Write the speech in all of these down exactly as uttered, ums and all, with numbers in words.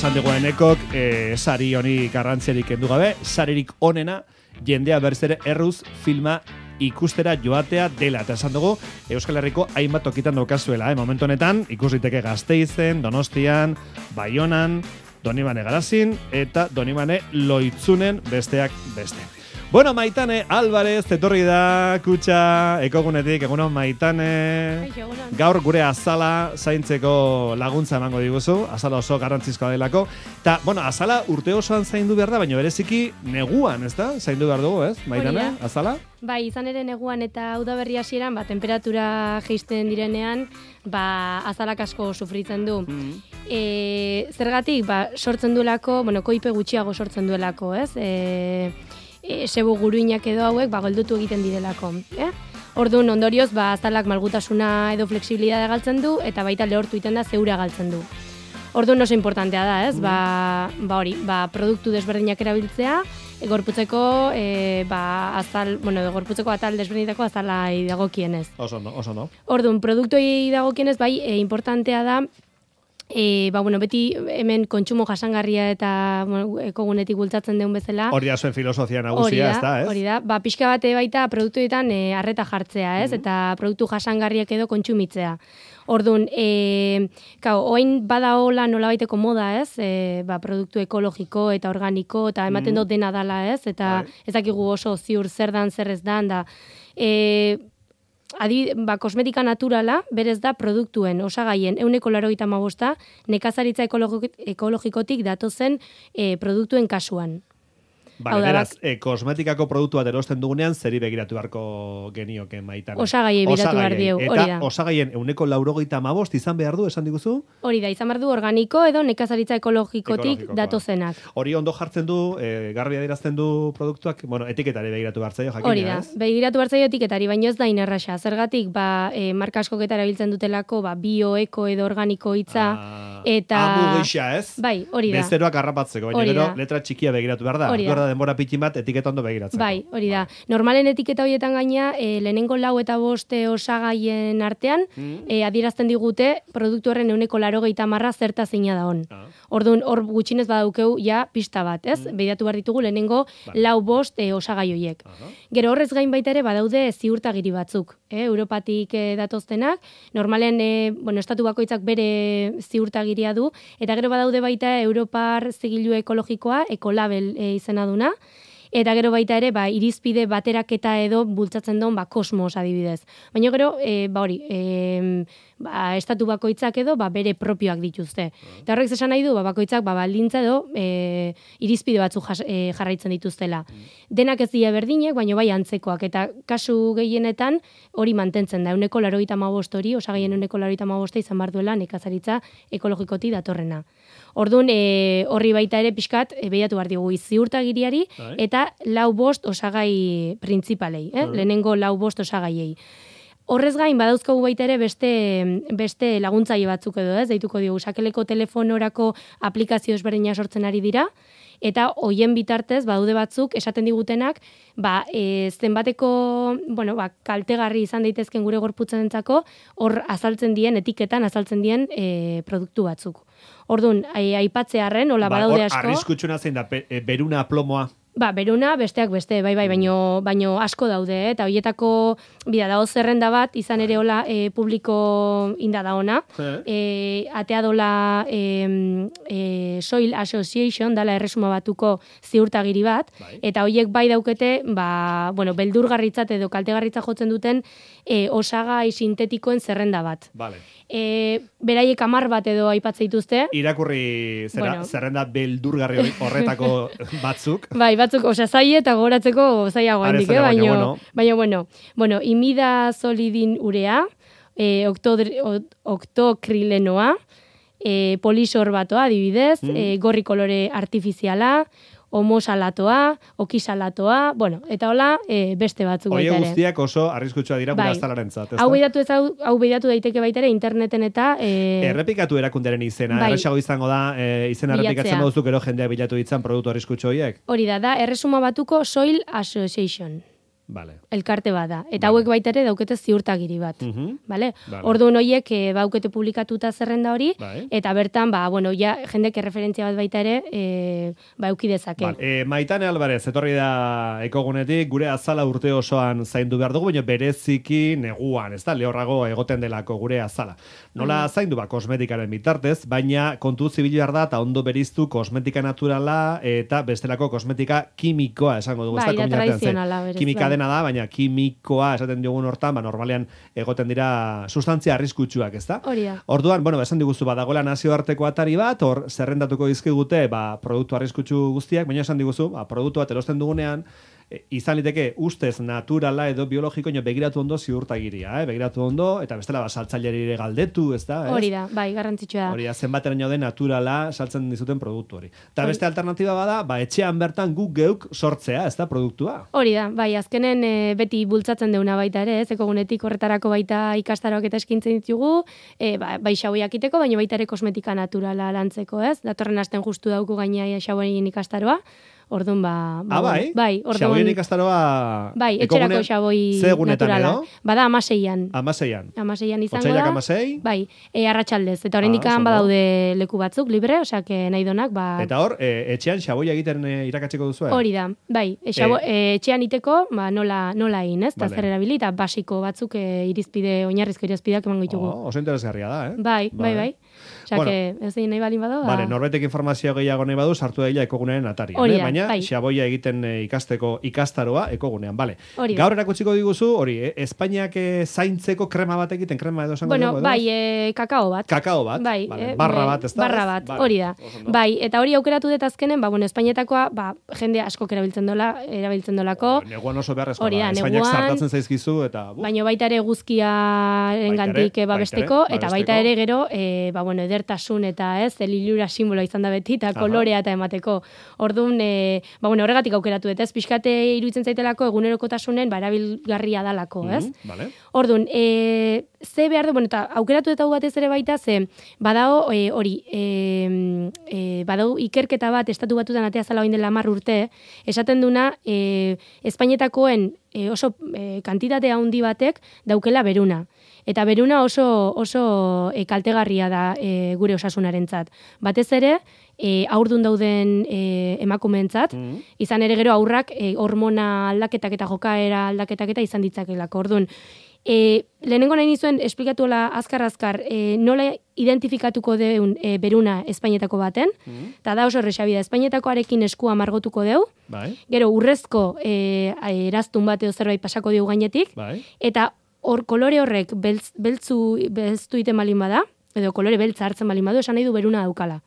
esan dugu enekok, e, sari honi garrantziarik kendu gabe, saririk onena, jendea berriz ere erruz filma ikustera joatea dela. Eta esan dugu, Euskal Herriko hainbat tokitan daukazuela. Eh? Momentu honetan, ikusiteke Gasteizen, Donostian, Baionan, Donibane Garazin, eta Donibane Loitzunen besteak beste. Bueno, Maitane Álvarez, etorri da, kutxa, ekogunetik, egunon Maitane. Gaur gure azala zaintzeko laguntza emango diguzu, azala oso garrantzizkoa delako. Ta, bueno, azala urte osoan zaindu behar da, baina bereziki neguan, ez da? Zaindu behar dugu, ez? Maitane, azala? Bai, izan ere neguan eta udaberri hasieran, ba, temperatura jeisten direnean, ba, azalak asko sufritzen du. Mm-hmm. E, zergatik, ba, sortzen duelako, bueno, koipe gutxiago sortzen duelako, ez? E, e, sebo guruinak edo hauek, ba, goldutu egiten direlako, eh? Orduan, ondorioz, ba, azalak malgutasuna edo flexibilidadea galtzen du, eta baita lehortu egiten da zeura galtzen du. Orduan oso importantea da, ez? Mm. Ba, ba hori, ba, produktu desberdinak erabiltzea, e, gorputzeko, e, ba, azal, bueno, gorputzeko atal desberdinetako azalai dagokienez. Oso no, oso no. Orduan, produktuei dagokienez, bai, e, importantea da, E, ba, bueno, beti hemen kontsumo jasangarria eta bueno, ekogunetik bultzatzen den bezala. Hori da zuen filosofia nagusia, ez da, ez? Hori da, ba, pixka bate baita produktuetan e, arreta jartzea, ez? Mm-hmm. Eta produktu jasangarriak edo kontsumitzea. Orduan, e, kau, oain bada hola nola baiteko moda, ez? E, ba, produktu ekologiko eta organiko, eta ematen mm. dut dena dala, ez? Eta right. ez dakigu oso ziur zer dan, zer ez dan, da... E, Adi, ba, kosmetika naturala, berez da produktuen, osagaien, euneko larogeita hamabosta, nekazaritza ekologikotik datozen e, produktuen kasuan. Bale, beraz, e, kosmetikako produktu bat erosten dugunean, zeri begiratu beharko genioke Maitane. Osagaiei begiratu behar diegu, hori da. Eta osagaien euneko laurogeita hamabost izan behar du, esan diguzu? Hori da, izan behar du organiko edo nekazaritza ekologikotik datozenak. Hori ondo jartzen du, e, garbi adierazten du produktuak, bueno, etiketari begiratu behar zaio, jakina, hori da, ez? Begiratu behar zaio etiketari, baina ez da inerraxa. Zergatik, ba, e, marka askoketa erabiltzen dutelako, ba, bio, eko edo organiko hitza, ah, eta... Amu gisa, ez? Bai, hori da. Bezeroak harrapatzeko, baina gero letra txikia begiratu behar da. Hori da. Denbora pitin bat etiketa ondo begiratzeko. Bai, hori da. Normalen etiketa horietan gaina, e, lehenengo lau eta boste osagaien artean, mm. e, adierazten digute produktu horren euneko larogeita marra zerta zeina da hon. Ah. Orduan, hor gutxinez badaukeu ja pista bat, ez? Mm. Begiratu behar ditugu lehenengo vale. lau bost e, osagai horiek. Uh-huh. Gero horrez gain baita ere badaude ziurtagiri batzuk, eh? Europatik e, datoztenak, normalen, e, bueno, estatu bakoitzak bere ziurtagiria du, eta gero badaude baita Europar zigilu ekologikoa, ekolabel e, izena duna, eta gero baita ere, ba, irizpide bateraketa edo bultzatzen duen, ba, kosmos adibidez. Baina gero, e, ba hori, e, ba, estatu bakoitzak edo, ba, bere propioak dituzte. Eta horrek esan nahi du, ba, bakoitzak, ba, baldintza edo, e, irizpide batzuk jas, e, jarraitzen dituztela. Denak ez dira berdinek, baina bai antzekoak, eta kasu gehienetan hori mantentzen da, euneko larogeita hamabost hori, osagaien euneko larogeita hamabosta izan behar duela nekazaritza ekologikoti datorrena. Orduan, e, horri baita ere pixkat, e, behiatu behar dugu ziurtagiriari, eta lau bost osagai printzipalei, eh? Lehenengo lau bost osagaiei. Horrez gain, badauzkogu baita ere beste, beste laguntzaile batzuk edo, ez? Deituko diogu, sakeleko telefonorako aplikazio ezberdina sortzen ari dira, eta hoien bitartez, badaude batzuk, esaten digutenak, ba, e, zenbateko, bueno, ba, kaltegarri izan daitezken gure gorputzenentzako, hor azaltzen dien, etiketan azaltzen dien e, produktu batzuk. Orduan, aipatzearren, hola ba, badaude asko. Arriskutxuna zein da, e, beruna plomoa. Ba, beruna besteak beste, bai, bai, baino, baino asko daude, eh? Eta horietako, bida, dago zerrenda bat, izan ere hola e, publiko inda da ona, e, atea dola e, e, Soil Association, dala erresuma batuko ziurtagiri bat, bai. Eta horiek bai daukete, ba, bueno, beldurgarritzat edo kaltegarritzat jotzen duten e, osagai sintetikoen zerrenda bat. Vale. E, beraiek amar bat edo aipatzen dituzte. Irakurri zera, bueno. Zerrenda beldurgarri horretako batzuk. Bai, batzuk, osea, zaie eta gogoratzeko zaiago handik, eh? Baina, bueno. Baina, bueno, bueno, imida solidin urea, e, oktokrilenoa, e, polisorbatoa, adibidez, mm. e, gorri kolore artifiziala, homosalatoa, okisalatoa, bueno, eta hola, e, beste batzuk baita ere. Oie guztiak oso arriskutsua dira gure azalarentzat, ez da? Hau behidatu, ez, hau, hau behidatu daiteke baita ere interneten eta... E... Errepikatu erakunderen izena, bai. Erresago izango da, e, izena errepikatzen baduzu gero jendea bilatu ditzan produktu arriskutsu horiek? Hori da, da, erresuma batuko Soil Association. Vale. Elkarte bat da. Eta Vale. hauek baita ere daukete ziurtagiri bat. Mhm. Vale? Vale. Orduan horiek e, baukete publikatuta zerrenda hori, Bai. eta bertan, ba, bueno, ja, jendek erreferentzia bat baita ere, e, ba, euki dezake. Vale. E, Maitane Alvarez, etorri da ekogunetik, gure azala urte osoan zaindu behar dugu, baina bereziki neguan, ez da, lehorrago egoten delako gure azala. Nola zaindu, ba, kosmetikaren bitartez, baina kontu zibilu behar da, eta ondo beriztu kosmetika naturala eta bestelako kosmetika kimikoa, esango dugu. Bai, ez da, da tradizionala, berez, kimika bai. dena da, baina kimikoa esaten diogun hortan, ba, normalean egoten dira sustantzia arriskutsuak, ez da? Hori da. Orduan, bueno, esan diguzu, badagoela nazioarteko atari bat, hor zerrendatuko dizkigute, ba, produktu arriskutsu guztiak, baina esan diguzu, ba, produktu bat erosten dugunean, e, izan liteke ustez naturala edo biologiko, ino begiratu ondo ziurtagiria, eh? Begiratu ondo, eta bestela ba, saltzaileari ere galdetu, ez da? Ez? Hori da, bai, garrantzitsua da. Hori da, zenbateraino den naturala saltzen dizuten produktu hori. Eta beste alternatiba bada, ba, etxean bertan guk geuk sortzea, ez da, produktua. Hori da, bai, azkenen e, beti bultzatzen deuna baita ere, ez, ekogunetik horretarako baita ikastaroak eta eskintzen ditugu, e, ba, bai xauiak iteko, baina baita ere kosmetika naturala lantzeko, ez? Datorren asten justu dauku gaina xauien ikastaroa, orduan ba... ba Ah, bai? Bai, orduan... Xaboien ikastaroa... Bai, etxerako xaboi naturala. Edo? Bada amaseian. Amaseian. Amaseian izango Otsailak da. amasei? Bai, e, arratsaldez. Eta oraindik Ah, oso ondo. badaude leku batzuk, libre, osea, que nahi donak, ba... Eta hor, e, etxean xaboia egiten e, irakatzeko duzu, Hori da, bai, e, xabo, e, etxean iteko, ba, nola, nola egin, ez? Eta Vale. zer erabili, eta basiko batzuk e, irizpide, oinarrizko irizpideak emango ditugu. Oh, oso interesgarria da, eh? Bai, bai, bai. Osea, Bueno. que ez egin nahi balin bado, ba... Vale, norbetek informazio gehiago nahi badu, sartu daila ekogunearen atarian. Hori eh? da, Baina, bai. xaboia egiten e, ikasteko ikastaroa ekogunean, bale. Hori da. Gaur erakutsiko diguzu, hori, eh? Espainiak e, zaintzeko krema bat egiten, krema edo esango Bueno, dugu, edo? bai, e, kakao bat. Kakao bat, Bai, vale. eh, barra bai, bat, ez da? Barra ez? bat, Vale. hori da. Oso ondo. Bai, eta hori aukeratu dut azkenen, ba, bueno, Espainietakoa, ba, jende askok erabiltzen dola, erabiltzen dolako, Neguan oso beharrezkoa Hori da, da. Espainiak neguan- zartatzen zaizkizu, eta... buf, baina baita ere guzkiaren Baita gandik ere, babesteko, baita ere, eta baita babesteko. ere gero, e, ba, bueno, edertasun eta ez, elilura simbolo izan da beti, eta Aha. kolorea eta emateko. Orduan, e, ba, bueno, horregatik aukeratu dut, ez, pixkate iruditzen zaitelako egunerokotasunen, ba, erabilgarria dalako, ez? mhm, vale. Orduan, e, ze behar du, bueno, eta aukeratu eta hau batez ere baita, ze badao e, hori, e, e, badao ikerketa bat estatu batutan atea zala oin dela hamar urte, esaten duna, e, Espainetakoen e, oso e, kantitate handi batek daukela beruna. Eta beruna oso, oso e, kaltegarria da e, gure osasunarentzat. Batez ere, e, haurdun dauden e, emakumeentzat, Mhm. izan ere gero aurrak e, hormona aldaketak eta jokaera aldaketak eta izan ditzakelako. Orduan, e, lehenengo nahi nizuen esplikatuela azkar-azkar e, nola identifikatuko deun e, beruna Espainetako baten, eta da oso errexabida, Espainetakoarekin eskua margotuko deu, Bai, gero urrezko e, eraztun bat edo zerbait pasako diu gainetik, bai. eta hor kolore horrek beltz, beltzu, beltztu iten balin bada, edo kolore beltza hartzen balin badu, esan nahi du beruna daukala.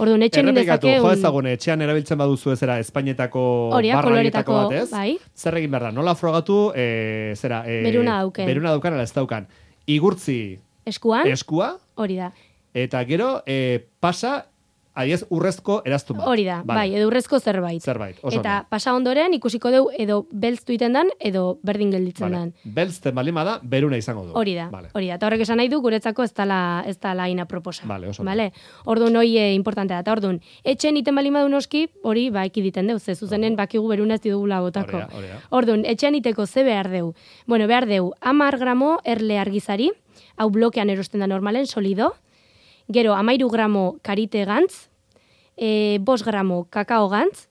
Orduan, etxen Errepikatu, indezake... jo ezagun, etxean erabiltzen baduzu ezera Espainietako Hori da, barra koloretako, horietako bat, ez? bai. Zer egin behar da, nola frogatu, e, zera... E, Beruna dauken. Beruna daukan, ala ez daukan. Igurtzi eskuan, eskua, hori da. eta gero e, pasa, adiez, urrezko eraztun bat. Hori da, Vale. bai, edo urrezko zerbait. Zerbait, oso Eta ondo. pasa ondoren ikusiko deu edo beltztu iten dan, edo berdin gelditzen Vale. dan. Belzten balima da, beruna izango du. Hori da, Vale. hori da. Eta horrek esan nahi du, guretzako ez dala, ez dala ina proposa. Vale, oso ondo. Vale? Orduan hoi e, importantea da. Eta orduan, etxen iten balin badu noski, hori ba ekiditen deu, ze zuzenen bakigu beruna ez didugula botako. Hori da, hori da. Orduan, etxean iteko ze behar deu? Bueno, behar deu, hamar gramo erle argizari, hau blokean erosten da normalen, solido, gero amairu gramo karite gantz, e, bos gramo kakao gantz,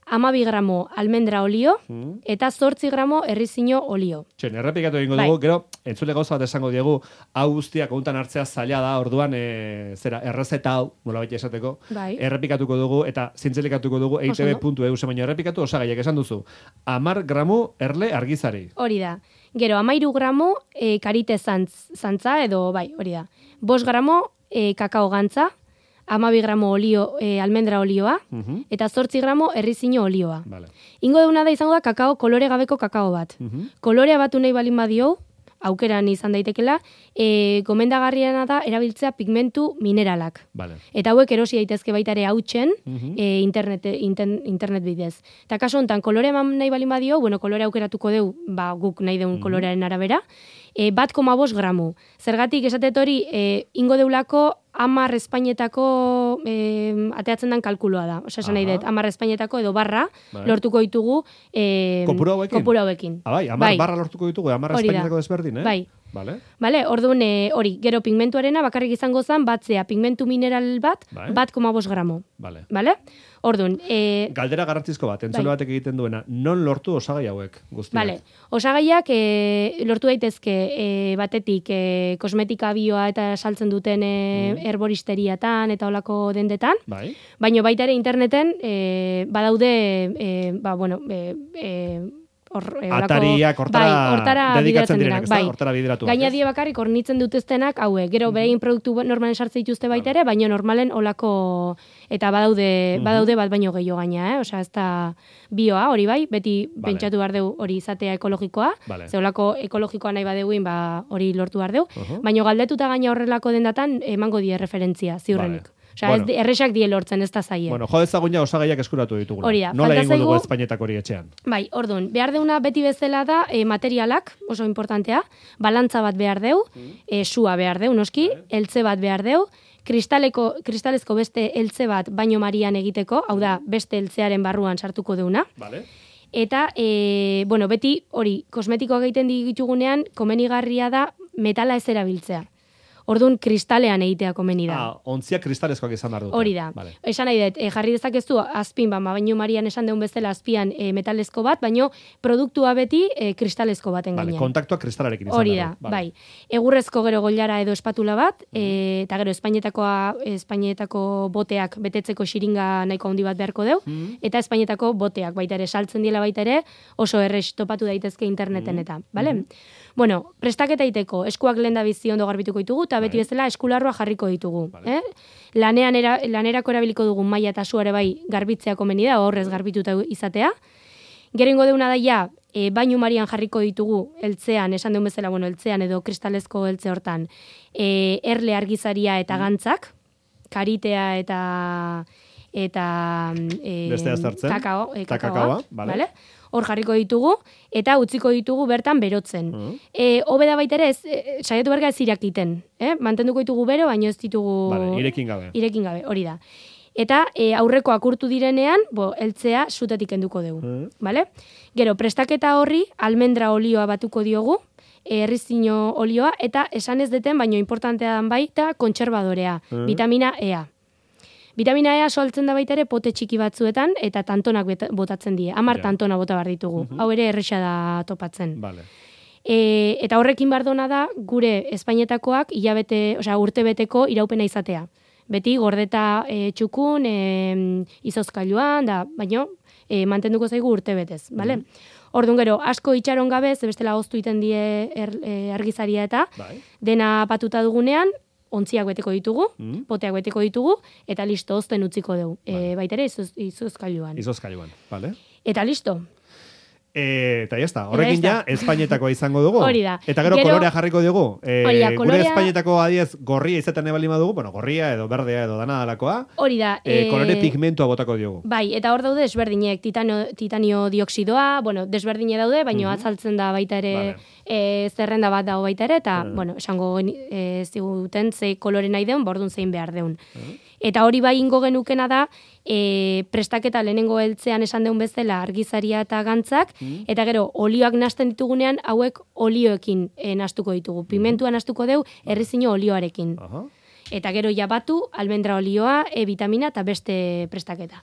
amabi gramo almendra olio, Mm. eta zortzi gramo errizino olio. Txen, errepikatu egingo Bai. dugu, gero, entzule gauza bat esango diegu, hau guztia kontan hartzea zaila da, orduan, e, zera, errezeta hau, nola baita esateko, Bai. errepikatuko dugu, eta zintzelikatuko dugu, Oso eitb ondo. puntu e u, baina errepikatu osagaiak esan duzu. Amar gramu erle argizari. Hori da. Gero, amairu gramo e, karite zantz, zantza, edo, bai, hori da. Bos gramo e, kakao gantza, amabi gramo olio, e, almendra olioa, Mhm. eta zortzi gramo errizino olioa. Vale. Ingo deuna da izango da kakao, kolore gabeko kakao bat. Mhm. Kolorea batu nahi balin badio, aukeran izan daitekela, e, gomendagarriena da erabiltzea pigmentu mineralak. Vale. Eta hauek erosi daitezke baita ere hautzen Mhm. e, internet, inten, internet bidez. Eta kaso honetan, kolore eman nahi balin badio, bueno, kolore aukeratuko deu, ba, guk nahi deun kolorearen arabera, e, bat koma bost gramu. Zergatik esatet hori, e, ingo deulako amar Espainetako gero e, ateatzen den kalkuloa da. Osa, esan nahi dut, hamar Espainietako edo barra bai. lortuko ditugu e, kopuru hauekin. Kopuru hauekin. Ah, bai, hamar bai. barra lortuko ditugu, hamar Espainietako desberdin, eh? Bai. Vale. Vale, orduan e, hori, gero pigmentuarena bakarrik izango zen batzea pigmentu mineral bat, bai. bat koma bost gramo. Vale. Vale? Orduan, e, galdera garrantzizko bat, entzule bai. batek egiten duena, non lortu osagai hauek guztiak? Vale. Osagaiak e, lortu daitezke e, batetik e, kosmetika bioa eta saltzen duten e, mm. herboristeriatan eta olako dendetan. Bai. Baina baita ere interneten e, badaude e, ba, bueno, e, e, Or, e, atariak hortara, bai, hortara dedikatzen direnak, bai. hortara bideratu. Gaina die bakarrik hornitzen dituztenak haue, gero mm-hmm. behin produktu normalen sartzen dituzte baita ere, baina normalen olako eta badaude, mm-hmm. badaude bat baino gehiago gaina, eh? Osea, ez da bioa, hori bai, beti vale. Pentsatu behar deu hori izatea ekologikoa, vale. Ze olako ekologikoa nahi badeguin, ba, hori lortu behar deu, uh-huh. baina galdetuta gaina horrelako dendatan emango die referentzia, ziurrenik. Vale. Osea, bueno. ez erresak die lortzen, ez da zaie. Bueno, jo ezagun ja osagaiak eskuratu ditugula. Hori da. Nola egingo dugu Espainetak hori etxean? Bai, ordun, behar deuna beti bezala da e, materialak, oso importantea, balantza bat behar deu, mm. e, sua behar deu, noski, mm. eltze bat behar deu, kristaleko, kristalezko beste eltze bat baino marian egiteko, hau da, beste eltzearen barruan sartuko deuna. Vale. Eta, e, bueno, beti hori, kosmetikoak egiten ditugunean, komenigarria da metala ez erabiltzea. Orduan, kristalean egitea komeni da. Ah, ontziak kristalezkoak izan behar dute. Hori da. Vale. Esan nahi dut, e, jarri dezakezu azpin, ba, baino marian esan deun bezala azpian e, metalezko bat, baino produktua beti e, kristalezko baten vale, gainean. Kontaktua kristalarekin izan Hori da, vale. bai. Egurrezko gero goilara edo espatula bat, mm. e, eta gero Espainietakoa, Espainietako boteak betetzeko xiringa nahiko handi bat beharko deu, mm. eta Espainietako boteak baita ere, saltzen diela baita ere, oso errex topatu daitezke interneten mm. eta, bale? Mm. Bueno, prestaketa iteko, eskuak lehen da bizi ondo garbituko ditugu, eta beti bezala eskularroa jarriko ditugu. Vale. Eh? Lanean era, lanerako erabiliko dugun maila eta suare bai garbitzea komeni da, horrez garbituta izatea. Gero ingo deuna daia, e, bainu marian jarriko ditugu, eltzean, esan deun bezala, bueno, eltzean edo kristalezko eltze hortan, e, erle argizaria eta gantzak, karitea eta eta e, kakao, e, kakaoa, vale. Vale? Hor jarriko ditugu, eta utziko ditugu bertan berotzen. Uh-huh. E, Hobeda baita ere, ez, e, saiatu berga ez irakiten. Eh? Mantenduko ditugu bero, baino ez ditugu... Vale, irekin gabe. Irekin gabe, hori da. Eta e, aurreko akurtu direnean, bo, eltzea zutetik enduko dugu. Uh-huh. Vale? Gero, prestaketa horri, almendra olioa batuko diogu, errizino olioa, eta esan ez deten, baino importantea dan baita, kontserbadorea, uh-huh. vitamina E. Vitamina E soltzen da baita ere pote txiki batzuetan eta tantonak botatzen die. Hamar yeah. tantona bota behar ditugu. Uh-huh. Hau ere erresa da topatzen. Vale. E, eta horrekin bardona da gure Espainietakoak hilabete, osea urtebeteko iraupena izatea. Beti gordeta e, txukun, e, izozkailuan, da, baino e, mantenduko zaigu urtebetez, bale? Uh-huh. Orduan gero, asko itxaron gabe, ze bestela hoztu iten die er, e, argizaria eta bai. Dena patuta dugunean, ontziak beteko ditugu, mm. poteak beteko ditugu, eta listo, ozten utziko dugu. Vale. E, baitere, izoz, izozkailuan. Izozkailuan, vale. Eta listo. E, eta jazta, horrekin ja, Espainietakoa izango dugu. Hori da. Eta gero, gero kolorea jarriko dugu. E, da, gure kolorea... Espainietako adiez gorria izaten ebali madugu, bueno, gorria edo berdea edo dana dalakoa. Hori da. E, e... Kolore pigmentua botako diogu. Bai, eta hor daude desberdinek, titanio, titanio dioksidoa, bueno, desberdine daude, baina mm-hmm. atzaltzen da baita ere... Vale. E, zerrenda bat dago baita ere, eta, uh-huh. bueno, esango e, ziguten ze kolore nahi deun, bordun zein behar deun. Uh-huh. Eta hori bai ingo genukena da, e, prestaketa lehenengo heltzean esan deun bezala argizaria eta gantzak, uh-huh. eta gero, olioak nasten ditugunean, hauek olioekin e, nastuko ditugu. Pimentua nastuko deu, errizino olioarekin. Uh-huh. Eta gero jabatu, almendra olioa, E vitamina eta beste prestaketa.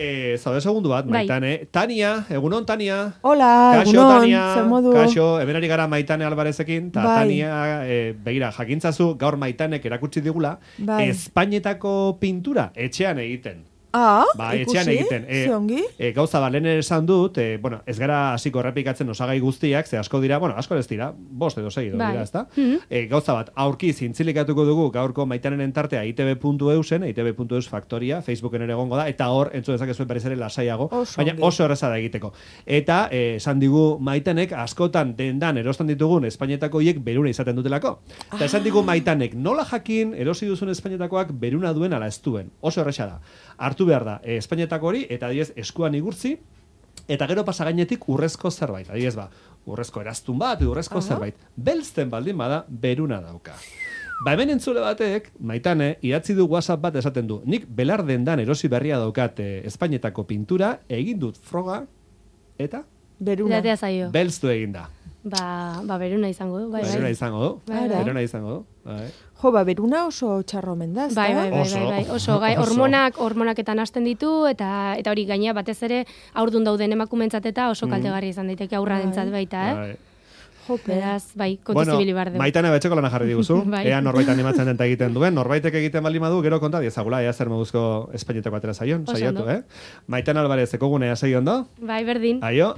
Eh, zaude segundu bat, bai. Maitane. Tania, egunon, Tania. Hola, Kaixo, egunon, Tania. zer modu. Kaixo, hemenari gara Maitane Albarezekin, eta bai. Tania, eh, begira, jakintzazu, gaur Maitanek erakutsi digula, bai. Espainietako pintura etxean egiten. Ah, ba, ikusi, etxean egiten. E, ziongi. E, gauza balen esan dut, e, bueno, ez gara hasiko errepikatzen osagai guztiak, ze asko dira, bueno, asko ez dira, bost edo sei edo bai. dira, ezta? Mm-hmm. E, gauza bat, aurki zintzilikatuko dugu gaurko Maitanen tartea I T B puntu E U zen, I T B puntu E U faktoria, Facebooken ere egongo da, eta hor, entzun dezakezuen berriz ere lasaiago, oso baina oso erraza da egiteko. Eta, e, esan digu Maitanek askotan dendan erosten ditugun Espainietako hiek beruna izaten dutelako. Eta ah. esan digu Maitanek, nola jakin erosi duzun Espainietakoak beruna duen ala ez duen. Oso erraza da. Hartu behar da, e, Espainietako hori, eta adiez eskuan igurtzi, eta gero pasa gainetik urrezko zerbait. Adiez ba, urrezko eraztun bat, urrezko uh-huh. zerbait. Belzten baldin bada, beruna dauka. Ba hemen entzule batek, Maitane, idatzi du WhatsApp bat esaten du. Nik belar dendan erosi berria daukat eh, Espainetako pintura, egin dut froga, eta? Beruna. Idatea zaio. Belztu egin da. Ba, ba beruna izango du, bai, Beruna bai. izango du. Bai, bai. Beruna izango du. Bai. Jo, ba, beruna oso txarro omen da, ezta? Bai, bai, bai, Oso. bai, bai. Oso, gai, Oso. hormonak, hormonaketan hasten ditu, eta eta hori gaina batez ere aurdun dauden emakumentzat eta oso kaltegarria izan daiteke aurrarentzat baita, eh? Bai. Jope. Beraz, bai, kontu Bueno, zibili bar dugu. Maitane betxeko lana jarri diguzu. Bai. Ea norbait animatzen den eta egiten duen. Norbaitek egiten bali madu, gero konta diezagula, ea zer moduzko Espainetako atera zaion, Oso saiatu, ondo. eh? Maitane Alvarez, ekogunea segi ondo? Bai, berdin. Aio.